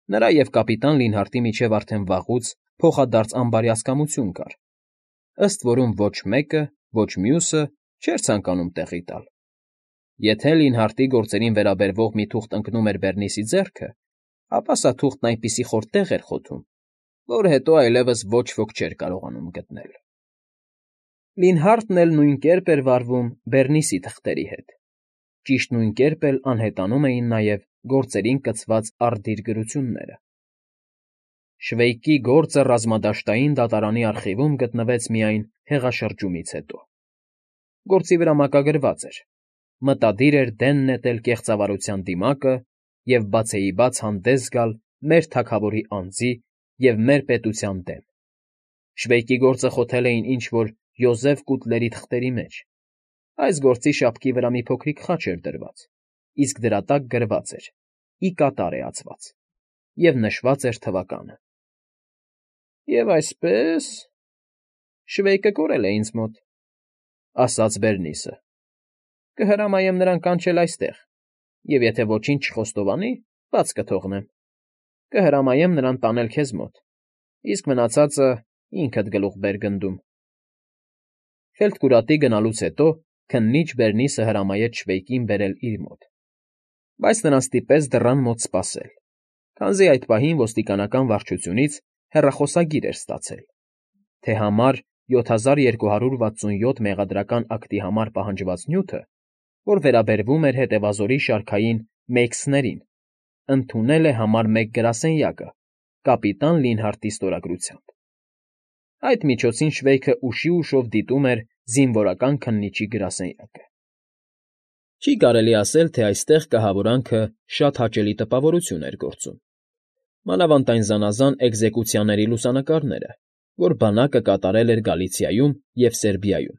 Նրա և կապիտան Լինհարտի միջև արդեն վաղուց փոխադարձ ամբարյացկամություն կար, ըստ որում ոչ մեկը, ոչ մյուսը չէր ցանկանում տեղի տալ. եթե Լինհարտի գործերին վերաբերվող մի թուղթ ընկնում էր Բերնիսի ձեռքը, ապա սա թուղթն այնպիսի խոր տեղ էր խոթում, որ հետո այլևս ոչ ոք չէր կարողանում գտնել։ Լինհարտն էլ նույն կերպ էր վարվում Բերնիսի թղթերի հետ, ճիշտ նույն կերպ էլ անհետանում էին նաև գործերին կցված արդիր գրությունները։ Շվեյկի գործը ռազմադաշտային դատարանի արխիվում գտնվեց միայն հեղաշրջումից հետո։ Գործի վրա մակագրված էր. մտադիր էր դեն նետել կեղծավարության դիմակը և բացեիբաց հանդես գալ մեր թագավորի անձի և մեր պետության դեմ։ Շվեյկի գործը խոթել էին ինչ֊որ Յոզեֆ Կուտլերի թղթերի մեջ։ Այս գործի շապքի վրա մի փոքրիկ խաչ էր դրված, իսկ դրա տակ գրված էր. ի կատար է ածված, և նշված էր թվականը։ «Եվ այսպես… Շվեյկը կորել է ինձ մոտ,֊ ասաց Բերնիսը։ Կհրամայեմ նրան կանչել այստեղ, և եթե ոչինչ չխոստովանի, բաց կթողնեմ։ Կհրամայեմ նրան տանել քեզ մոտ, իսկ մնացածը ինքդ գլուխ բեր գնդում»։ Ֆելտկուրատի գնալուց հետո քննիչ Բերնիսը հրամայեց Շվեյկին բերել իր մոտ, բայց նրան ստիպեց դռան մոտ սպասել, քանզի այդ պահին ոստիկանական վարչությունից հեռախոսագիր էր ստացել, թե համար 7267 մեղադրական ակտի համար պահանջված նյութը, որ վերաբերվում էր հետևազորի շարքային Մեյքսներին, ընդունել է համար 1 գրասենյակը կապիտան Լինհարտի ստորագրությամբ։ Այդ միջոցին Շվեյքը ուշի ուշով դիտում էր զինվորական քննիչի գրասենյակը։ Չի կարելի ասել, թե այստեղ կահավորանքը շատ հաճելի տպավորություն էր գործում, մանավանդ այն զանազան էկզեկուցիաների լուսանկարները, որ բանակը կատարել էր Գալիցիայում և Սերբիայում։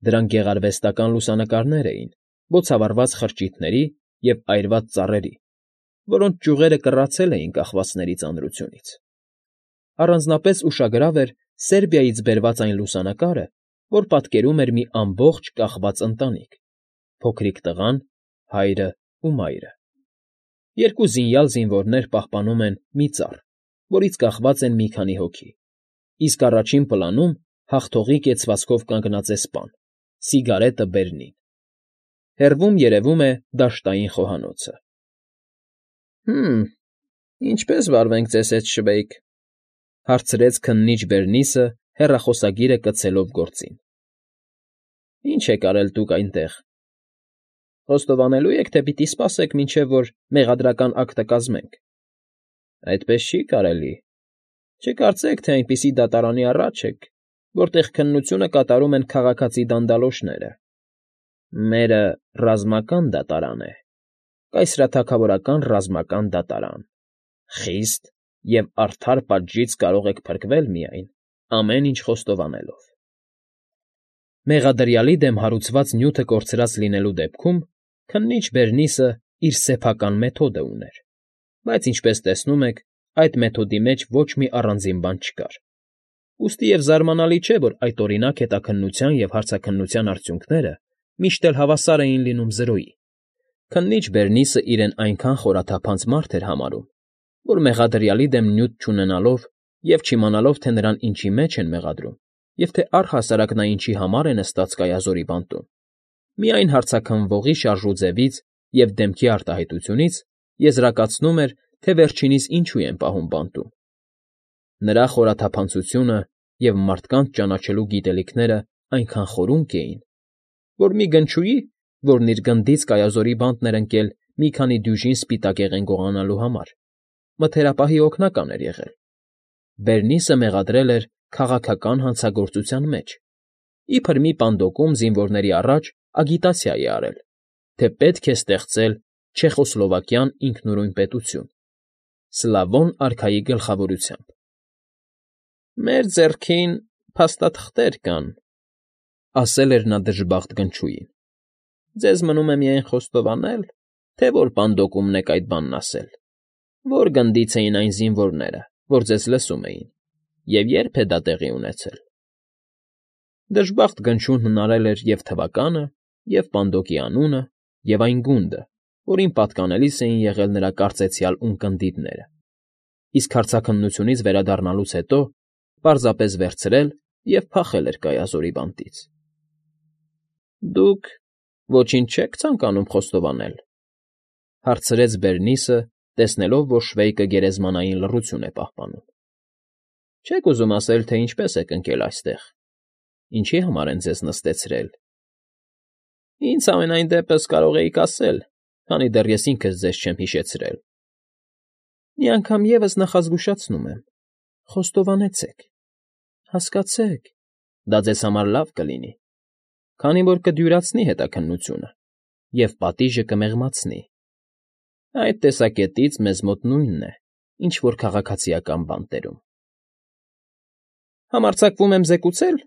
Դրանք գեղարվեստական լուսանկարներ էին բոցավառված խրճիթների և այրված ծառերի, որոնց ճյուղերը կռացել էին կախվածների ծանրությունից։ Առանձնապես ուշագրավ էր Սերբիայից բերված այն լուսանկարը, որ պատկերում էր մի ամբողջ կախված ընտանիք՝ փոքրիկ տղան, հայրը ու մայրը։ Երկու զինյալ զինվորներ պահպանում են մի ծառ, որից կախված են մի քանի հոգի, իսկ առաջին պլանում հաղթողի կեցվածքով կանգնած է սպան՝ սիգարետը բերնին։ Հեռվում երևում է դաշտային խոհանոցը։ ֊ Ինչպե՞ս վարվենք ձեզ հետ, Շվեյկ,֊ հարցրեց քննիչ Բերնիսը հեռախոսագիրը կցելով գործին։ ֊ Ի՞նչ եք արել դուք այնտեղ։ Խոստովանելո՞ւ եք, թե պիտի սպասեք, մինչև որ մեղադրական ակտը կազմենք։ Այդպես չի կարելի։ Չկարծեք, թե այնպիսի դատարանի առաջ եք, որտեղ քննությունը կատարում են քաղաքացի դանդալոշները։ Մերը ռազմական դատարան է, կայսերաթագավորական ռազմական դատարան։ Խիստ և արդար պատժից կարող եք փրկվել միայն ամեն ինչ խոստովանելով։ Մեղադրյալի դեմ հարուցված նյութը կորցրած լինելու դեպքում քննիչ Բերնիսը իր սեփական մեթոդը ուներ, բայց, ինչպես տեսնում եք, այդ մեթոդի մեջ ոչ մի առանձին բան չկար։ Ուստի և զարմանալի չէ, որ այդօրինակ հետաքննության և հարցաքննության արդյունքները միշտ էլ հավասար էին լինում 0-ի։ Քննիչ Բերնիսը իրեն այնքան խորաթափանց մարդ էր համարում, որ մեղադրյալի դեմ նյութ չունենալով և չիմանալով, թե նրան ինչի մեջ են մեղադրում և թե առհասարակ նա ինչի համար է նստած կայազորի բանտում, միայն հարցաքննվողի շարժուձևից և դեմքի արտահայտությունից եզրակացնում էր, թե վերջինիս ինչու են պահում բանտում։ Նրա խորաթափանցությունը և մարդկանց ճանաչելու գիտելիքները այնքան խորունկ էին, որ մի գնչուի, որն իր գնդից կայազորի բանտն էր ընկել մի քանի դյուժին սպիտակեղեն գողանալու համար, մթերապահի օգնական էր եղել։ Բերնիսը մեղադրել էր քաղաքական հանցագործության մեջ, իբր մի պանդոկում զինվորների առաջ ագիտացիա է արել, թե պետք է ստեղծել չեխոսլովակյան ինքնուրույն պետություն՝ Սլավոն արքայի գլխավորությամբ։ «Մեր ձեռքին փաստաթղթեր կան,֊ ասել էր նա դժբախտ գնչուին։֊ Ձեզ մնում է միայն խոստովանել, թե որ պանդոկումն եք այդ բանն ասել, որ գնդից էին այն զինվորները, որ ձեզ լսում էին, և երբ է դա տեղի ունեցել։ Դժբախտ գնչուն հնարել էր և թվականը, և պանդոկի անունը, և այն գունդը, որին պատկանելիս էին եղել նրա կարծեցյալ ունկնդիրները։ իսկ հարցաքննությունից վերադառնալուց հետո պարզապես վերցրել և փախել էր Կայազորի բանտից։ ֊ Դուք ոչինչ չեք ցանկանում խոստովանել,֊ հարցրեց Բերնիսը, տեսնելով, որ Շվեյկը գերեզմանային լռություն է պահպանում։ ֊ Չեք ուզում ասել, թե ինչպես եք ընկել այստեղ, ինչի համար են ձեզ նստեցրել։ ֊ Ինձ համենայն դեպս կարող էիք ասել, քանի դեռ ես ինքս ձեզ չեմ հիշեցրել։ ֊ Մի անգամ ևս նախազգուշացնում եմ. խոստովանեցեք, հասկացեք, դա ձեզ համար լավ կլինի, քանի որ կդյուրացնի հետաքննությունը և պատիժը կմեղմացնի։ Այդ տեսակետից մեզ մոտ նույնն է, ինչ որ քաղաքացիական բանտերում։ ֊ Համարձակվում եմ զեկուցել,֊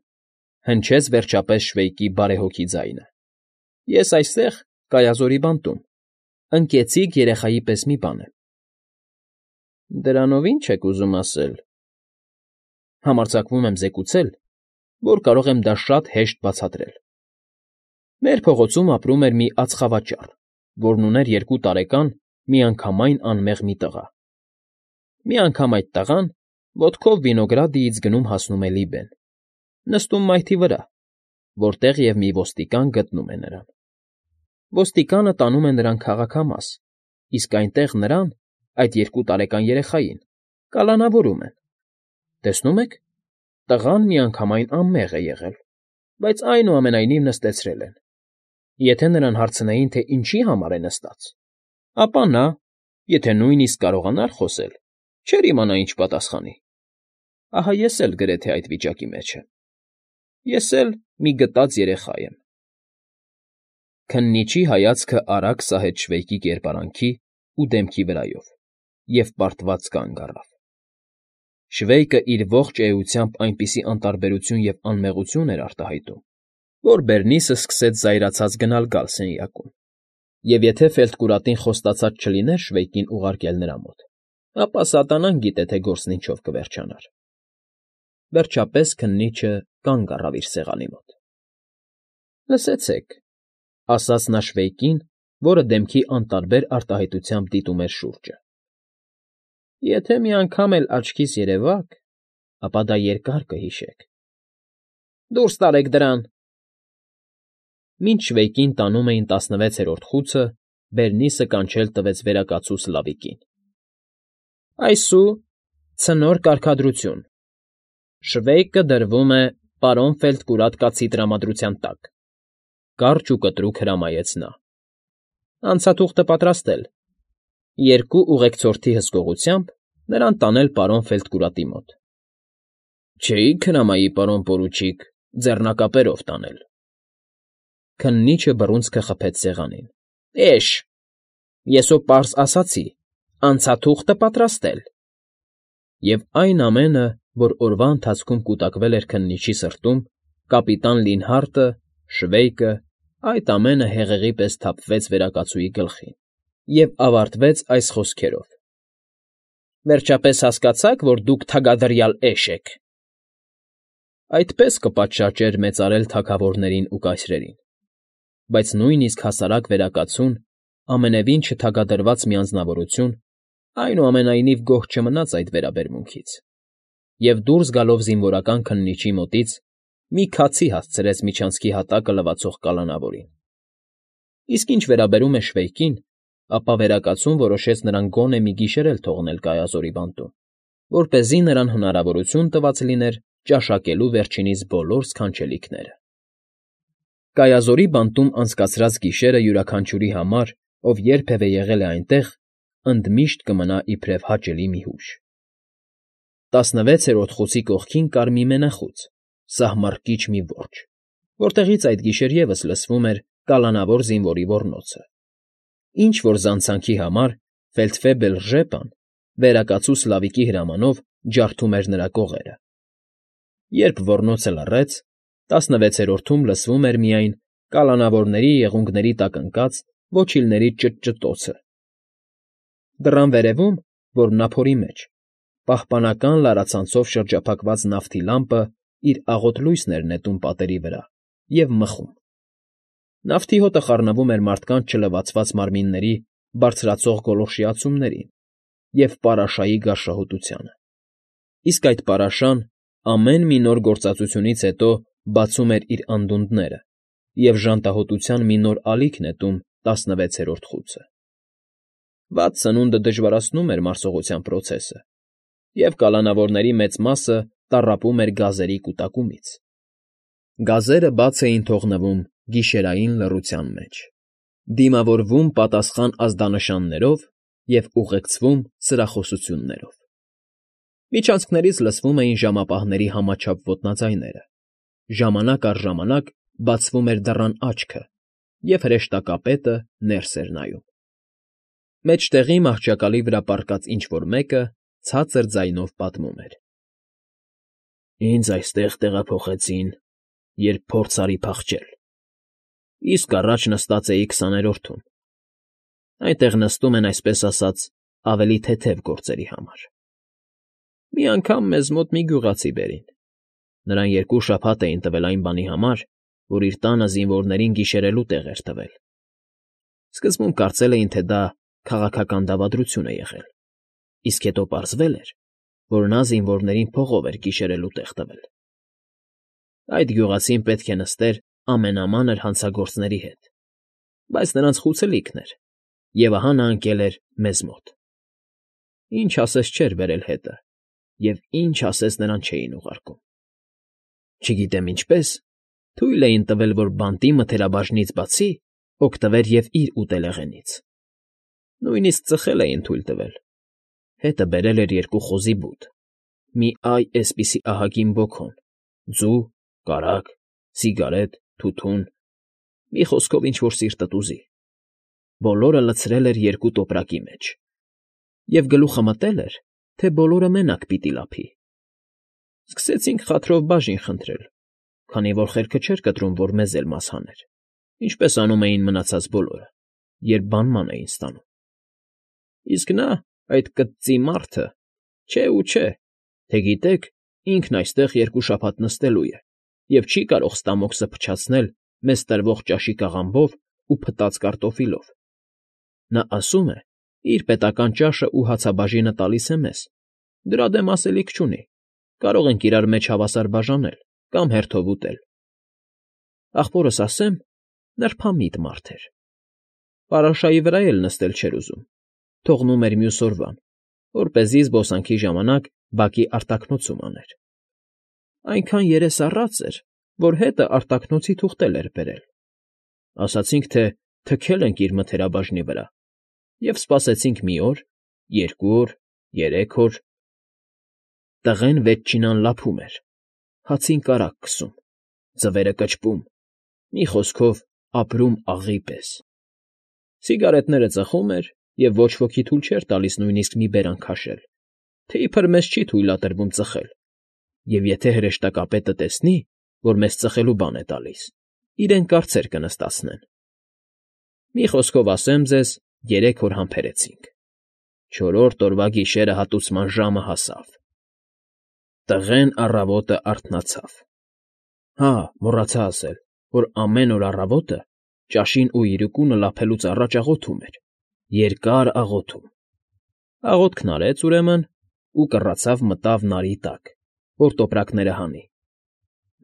հնչեց վերջապես Շվեյկի բարեհոգի ձայնը,֊ ես այստեղ, Կայազորի բանտում, ընկեցիկ երեխայի պես մի բան եմ։ ֊ Դրանով ի՞նչ եք ուզում ասել։ ֊ Համարձակվում եմ զեկուցել, որ կարող եմ դա շատ հեշտ բացատրել։ Մեր փողոցում ապրում էր մի ածխավաճառ, որն ուներ 2 տարեկան, միանգամայն անմեղ մի տղա։ Մի անգամ այդ տղան ոտքով վինոգրադիից գնում֊հասնում է լիբեն, նստում մայթի վրա, որտեղ և մի ոստիկան գտնում է նրան։ Ոստիկանը տանում է նրան քաղաքամաս, իսկ այնտեղ նրան, այդ 2 տարեկան երեխային, կալանավորում են։ Տեսնում եք, տղան միանգամայն անմեղ է եղել, բայց այնուամենայնիվ նստեցրել են։ Եթե նրան հարցնեին, թե ինչի համար է նստած, ապա նա, եթե նույնիսկ կարողանար խոսել, չէր իմանա ինչ պատասխանի։ Ահա ես էլ գրեթե այդ վիճակի մեջ եմ։ Ես էլ մի գտած երեխա եմ։ Քննիչի հայացքը արագ սահեց Շվեյկի կերպարանքի ու դեմքի վրայով և պարտված կանգ առավ։ Շվեյկը իր ողջ էությամբ այնպիսի անտարբերություն և անմեղություն էր արտահայտում, որ Բերնիսը սկսեց զայրացած գնալ֊գալ սենյակում, և եթե ֆելտկուրատին խոստացած չլիներ Շվեյկին ուղարկել նրա մոտ, ապա սատանան գիտե, թե գործն ինչով կվերջանար։ Վերջապես քննիչը կանգ առավ իր սեղանի մոտ։ ֊ Լսեցեք,֊ ասաց նա Շվեյկին, որը դեմքի անտարբեր արտահայտությամբ դիտում էր շուրջը,֊ եթե մի անգամ էլ աչքիս երևաք, ապա դա երկար կհիշեք։ ֊ Դուրս տարեք դրան։ Մինչ Շվեյկին տանում էին 16-րդ խուցը, Բերնիսը կանչել տվեց վերակացու Սլավիկին։ ֊ Այսու, ցնոր կարգադրություն. Շվեյկը դրվում է պարոն Ֆելտկուրատ կացի տրամադրության տակ,֊ կարճ ու կտրուկ հրամայեց նա։ ֊ Անցաթուղթը պատրաստել, 2 ուղեկցորդի հսկողությամբ նրան տանել պարոն Ֆելտկուրատի մոտ։ ֊ Չէի՞ք հրամայի, պարոն պորուչիկ, ձեռնակապերով տանել։ Քննիչը բռունցքը խփեց սեղանին։ ֊ Էշ, ես հո պարզ ասացի. անցաթուղթը պատրաստել։ Եվ այն ամենը, որ օրվա ընթացքում կուտակվել էր քննիչի սրտում, կապիտան Լինհարտը, Շվեյկը, այդ ամենը հեղեղի պես թափվեց վերակացուի գլխին և ավարտվեց այս խոսքերով. Վերջապես հասկացա՞ք, որ դուք թագադրյալ էշ եք։ Այդպես կպատշաճեր մեծարել թագավորներին ու կայսրերին, բայց նույնիսկ հասարակ վերակացուն, ամենևին չթագադրված մի անձնավորություն, այնուամենայնիվ գոհ չմնաց այդ վերաբերմունքից, և դուրս գալով զինվորական քննիչի մոտից մի քացի հասցրեց միջանցքի հատակը լվացող կալանավորին։ Իսկ ինչ վերաբերում է Շվեյկին, ապա վերակացուն որոշեց նրան գոնե մի գիշեր էլ թողնել Կայազորի բանտում, որպեսզի նրան հնարավորություն տված լիներ ճաշակելու վերջինիս բոլոր սքանչելիքները։ Կայազորի բանտում անցկացրած գիշերը յուրաքանչյուրի համար, ով երբևէ եղել է այնտեղ, ընդմիշտ կմնա իբրև հաճելի մի հուշ։ 16-րդ խուցի կողքին կար մի մենախոծ, սահմռկիչ մի որջը, որտեղից այդ գիշեր ևս լսվում էր կալանավոր զինվորի ոռնոցը։ Ինչ֊որ զանցանքի համար ֆելդֆեբել Ժեպան վերակացու Սլավիկի հրամանով ջարդում էր նրա կողերը։ Երբ ոռնոցը լռեց, 16-րդում լսվում էր միայն կալանավորների եղունգների տակ ընկած ոչիլների ճտճտոցը։ Դռան վերևում, որն ափորի մեջ, պահպանական լարացանցով շրջափակված նավթի լամպը իր աղոտ լույսն էր նետում պատերի վրա և մխում։ Նավթի հոտը խառնվում էր մարդկանց չլվացված մարմինների բարձրացող գոլորշիացումներին, և պարաշայի գարշահոտությանը։ Իսկ այդ պարաշան ամեն մի նոր գործածությունից հետո բացում էր իր անդունդները և ժանտահոտության մի նոր ալիք նետում 16-րդ խուցը։ Վատ սնունդը դժվարացնում էր մարսողության պրոցեսը, և կալանավորների մեծ մասը տառապում էր գազերի կուտակումից։ Գազերը բաց էին թողնվում գիշերային լռության մեջ, դիմավորվում պատասխան ազդանշաններով և ուղեկցվում սրախոսություններով։ Միջանցքներից լսվում էին ժամապահների համաչափ ոտնաձայները, ժամանակ առ ժամանակ բացվում էր դռան աչքը, և հրեշտակապետը ներս էր նայում։ Մեջտեղի մահճակալի վրա պառկած ինչ֊որ մեկը ցածր ձայնով պատմում էր. «Ինձ այստեղ տեղափոխեցին, երբ փորձ արի փախչել, իսկ առաջ նստած էի 20-րդում. այնտեղ նստում են, այսպես ասած, ավելի թեթև գործերի համար։ Մի անգամ մեզ մոտ մի գյուղացի բերին. նրան 2 շաբաթ էին տվել այն բանի համար, որ իր տանը զինվորներին գիշերելու տեղ էր տվել։ Սկզբում կարծել էին, թե դա քաղաքական դավադրություն է եղել, իսկ հետո պարզվել էր, որ նա զինվորներին փողով էր գիշերելու տեղ տվել։ Այդ գյուղացին պետք է նստեր ամենամանր հանցագործների հետ, բայց նրանց խուցելիքն էր, և ահա նա ընկել էր մեզ մոտ։ Ինչ ասես չէր բերել հետը, և ինչ ասես նրան չէին ուղարկում։ Չգիտեմ ինչպես, թույլ էին տվել, որ բանտի մթերաբաժնից բացի օգտվեր և իր ուտելեղենից։ Նույնիսկ ծխել էին թույլ տվել։ Հետը բերել էր 2 խոզի բութ, մի էսպիսի ահագին բոքոն, ձու, կարագ, սիգարետ, թութուն, մի խոսքով ինչ֊որ սիրտդ ուզի։ Բոլորը լցրել էր 2 տոպրակի մեջ և գլուխը մտել էր, թե բոլորը մենակ պիտի լափի։ Սկսեցինք խաթրով բաժին խնդրել, քանի որ խելքը չէր կտրում, որ մեզ էլ մաս հաներ, ինչպես անում էին մնացած բոլորը, երբ բանման էին ստանում։ Իսկ նա, այդ կծծի մարդը, չէ ու չէ, թե գիտեք, ինքն այստեղ 2 շաբաթ նստելու է և չի կարող ստամոքսը փչացնել մեզ տրվող ճաշի կաղամբով ու փտած կարտոֆիլով։ Նա ասում է, իր պետական ճաշն ու հացաբաժինը տալիս է մեզ, դրա դեմ ասելիք չունի, կարող ենք իրար մեջ հավասար բաժանել կամ հերթով ուտել։ Ախպորս ասեմ, նրբամիտ մարդ էր։ Պարաշայի վրա էլ նստել չէր ուզում, թողնում էր մյուս օրվան, որպեսզի զբոսանքի ժամանակ բակի արտաքնոցում աներ։ Այնքան երես առած էր, որ հետը արտաքնոցի թուղթ էր բերել։ Ասացինք, թե թքել ենք իր մթերաբաժնի վրա, և սպասեցինք մի օր, 2 օր, 3 օր։ Տղեն ետչինան լափում էր, հացին կարագ քսում, ձվերը կճպում, մի խոսքով ապրում աղի պես։ Սիգարետները ծխում էր և ոչ ոքի թույլ չէր տալիս նույնիսկ մի բերան քաշել, թե իբր մեզ չի թույլատրվում ծխել, և եթե հրեշտակապետը տեսնի, որ մեզ ծխելու բան է տալիս, իրեն կարծեր կնստացնեն։ Մի խոսքով ասեմ ձեզ, 3 օր համբերեցինք։ 4-րդ օրվա գիշերը հատուցման ժամը հասավ։ Տղեն առավոտը արթնացավ։ Հա, մոռացա ասել, որ ամեն օր առավոտը ճաշին ու իրիկունը լափելուց առաջ աղոթում էր, երկար աղոթում։ Աղոթքն արեց, ուրեմն, ու կռացավ մտավ նարի տակ, որ տոպրակները հանի։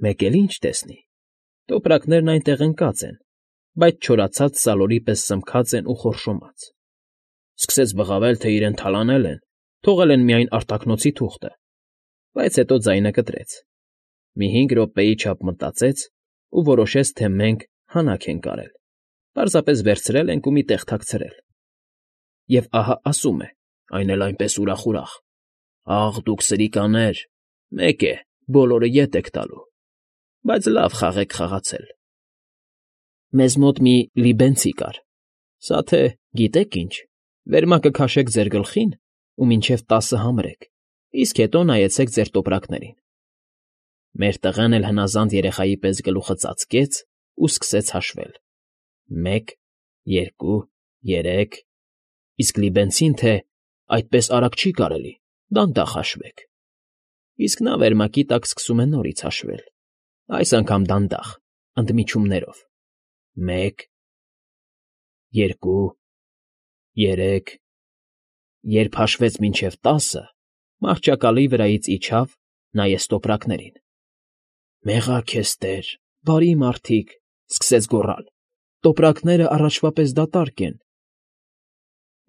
Մեկ էլ ինչ տեսնի. տոպրակներն այնտեղ ընկած են, բայց չորացած սալորի պես սմքած են ու խորշոմած։ Սկսեց բղավել, թե իրեն թալանել են, թողել են միայն արտաքնոցի թուղթը, բայց հետո ձայնը կտրեց։ Մի 5 րոպեի չափ մտածեց ու որոշեց, թե մենք հանաք ենք արել, պարզապես վերցրել ենք ու մի տեղ թաքցրել։ Եվ ահա ասում է, այն էլ այնպես ուրախ. «Աղ, դուք սրիկաներ, մեկ է, բոլորը ետ եք տալու, բայց լավ խաղ եք խաղացել»։ Մեզ մոտ մի լիբենցի կար, սա թե, գիտեք ինչ, վերմակը քաշեք ձեր գլխին ու մինչև 10 համրեք, իսկ հետո նայեցեք ձեր տոպրակներին։ Մեր տղեն էլ հնազանդ երեխայի պես գլուխը ծածկեց ու սկսեց հաշվել. 1, 2, 3… Իսկ լիբենցին, թե այդպես արագ չի կարելի, դանդաղ հաշվեք։ Իսկ նա վերմակի տակ սկսում է նորից հաշվել, այս անգամ դանդաղ, ընդմիջումներով. 1, 2, 3… Երբ հաշվեց մինչև 10, մահճակալի վրայից իջավ, նայեց տոպրակներին։ «Մեղա քեզ, Տեր, բարի մարդիկ», սկսեց գոռալ, «տոպրակները առաջվա պես դատարկ են»։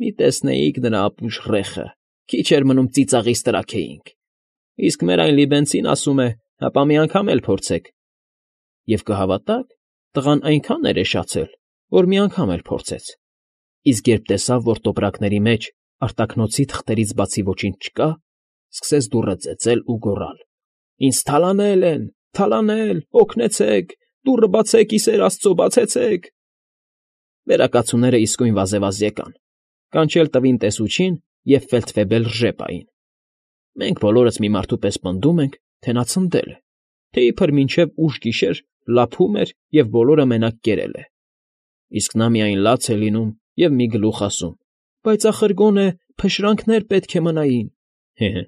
Մի տեսնեիք նրա ապուշ ռեխը, քիչ էր մնում ծիծաղից տրաքեինք։ Իսկ մեր այն լիբենցին ասում է, հապա մի անգամ էլ փորձեք։ Եվ կհավատաք, տղան այնքան էրեշացել, որ մի անգամ էլ փորձեց։ Իսկ երբ տեսավ, որ տոպրակների մեջ արտաքնոցի թղթերից բացի ոչինչ չկա, սկսեց դուռը ծեծել ու գոռալ. «Ինձ թալանել են, թալանել, օգնեցեք, դուռը բացեք, ի սեր Աստծո, բացեցեք»։ Վերակացուները իսկույն վազեվազ եկան, կանչել տվին տեսուչին և ֆելդֆեբել ռժեպային։ Մենք բոլորս մի մարդու պես պնդում ենք, թե նա ցնդել է, թե իբր մինչև ուշ գիշեր լափում էր և բոլորը մենակ կերել է։ Իսկ նա միայն լաց է լինում և մի գլուխ ասում. «Բայց ախր գոնե փշրանքներ պետք է մնային»։ Հե՛հե։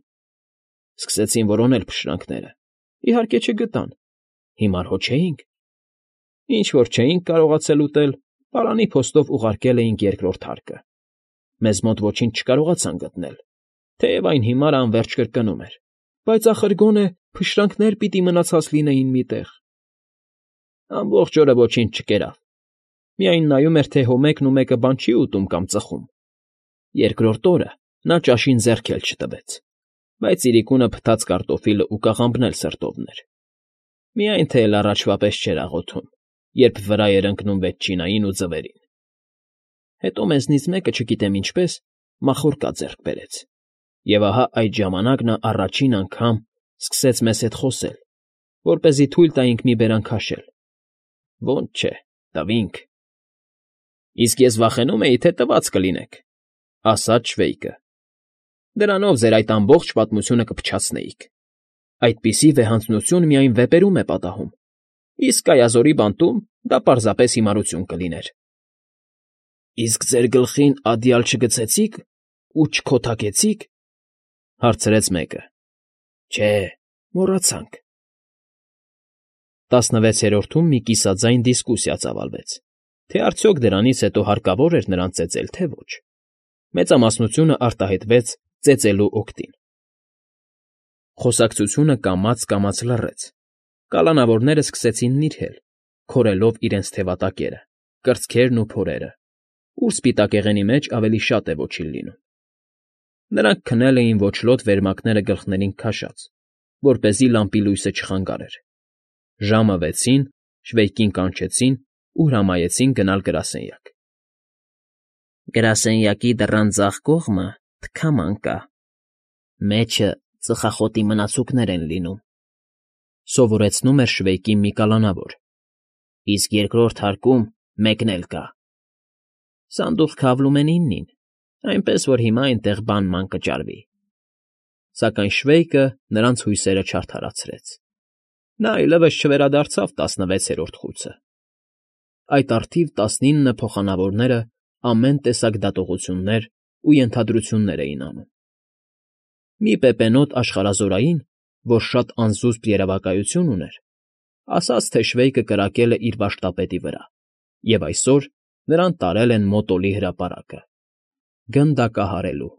Սկսեցին որոնել փշրանքները։ Իհարկե չգտան։ Հիմար հո չէինք։ Ինչ որ չէինք կարողացել ուտել, պարանի փոստով ուղարկել էինք երկրորդ հարկը։ Մեզ մոտ ոչինչ չկարողացան գտնել, թեև այն հիմարը անվերջ կրկնում էր. «Բայց ախր գոնե փշրանքներ պիտի մնացած լինեին մի տեղ»։ Ամբողջ օրը ոչինչ չկերավ։ Միայն նայում էր, թե հո մեկն ու մեկը բան չի ուտում կամ ծխում։ Երկրորդ օրը նա ճաշին ձեռք էլ չտվեց, բայց իրիկունը փտած կարտոֆիլը ու կաղամբն էլ սրտովն էր։ Միայն թե էլ առաջվա պես չէր աղոթում, երբ վրա էր ընկնում վեթչինային ու ձվերին։ Հետո մեզնից մեկը, չգիտեմ ինչպես, մախորկա ձեռք բերեց, և ահա այդ ժամանակ նա առաջին անգամ սկսեց մեզ հետ խոսել, որպեսզի թույլ տայինք մի բերան քաշել։ Ոնց չէ, տվինք։ Իսկ ես վախենում էի, թե տված կլինեք, ասաց Շվեյկը։ Դրանով ձեր այդ ամբողջ պատմությունը կփչացնեիք։ Այդպիսի վեհանձնություն միայն վեպերում է պատահում, իսկ Կայազորի բանտում դա պարզապես հիմարություն կլիներ։ Իսկ ձեր գլխին ադյալ չգցեցի՞ք ու չքոթակեցի՞ք, հարցրեց մեկը։ Չէ, մոռացանք։ 16-րդում մի կիսաձայն դիսկուսիա ծավալվեց, թե արդյոք դրանից հետո հարկավոր էր նրան ծեծել, թե ոչ։ Մեծամասնությունը արտահայտվեց ծեծելու օգտին։ Խոսակցությունը կամաց լռեց։ Կալանավորները սկսեցին նիրհել, քորելով իրենց թևատակերը, կրծքերն ու փորերը, ուր սպիտակեղենի մեջ ավելի շատ է ոչինչ լինում։ Նրանք քնել էին ոչլոտ վերմակները գլխներին քաշած, որպեսզի լամպի լույսը չխանգարեր։ Ժամը 6-ին Շվեյկին կանչեցին ու հրամայեցին գնալ գրասենյակ։ Գրասենյակի դռան ձախ կողմը թքաման կա։ Մեջը ծխախոտի մնացուկներ են լինում, սովորեցնում էր Շվեյկին մի կալանավոր։ Իսկ երկրորդ հարկում մեկն էլ կա։ Սանդուղք քավլում են 9-ին, այնպես որ հիմա այնտեղ բան կճարվի։ Սակայն Շվեյկը նրանց հույսերը չարդարացրեց։ Նա այլևս չվերադարձավ 16-րդ խուցը։ Այդ առթիվ 19 փոխանավորները ամեն տեսակ դատողություններ ու ենթադրություններ էին անում։ Մի պեպենոտ աշխարհազորային, որ շատ անզուսպ երևակայություն ուներ, ասաց, թե Շվեյկը կրակել է իր վարժտապետի վրա, և այսօր նրան տարել են Մոտոլի հրապարակը՝ գնդակահարելու։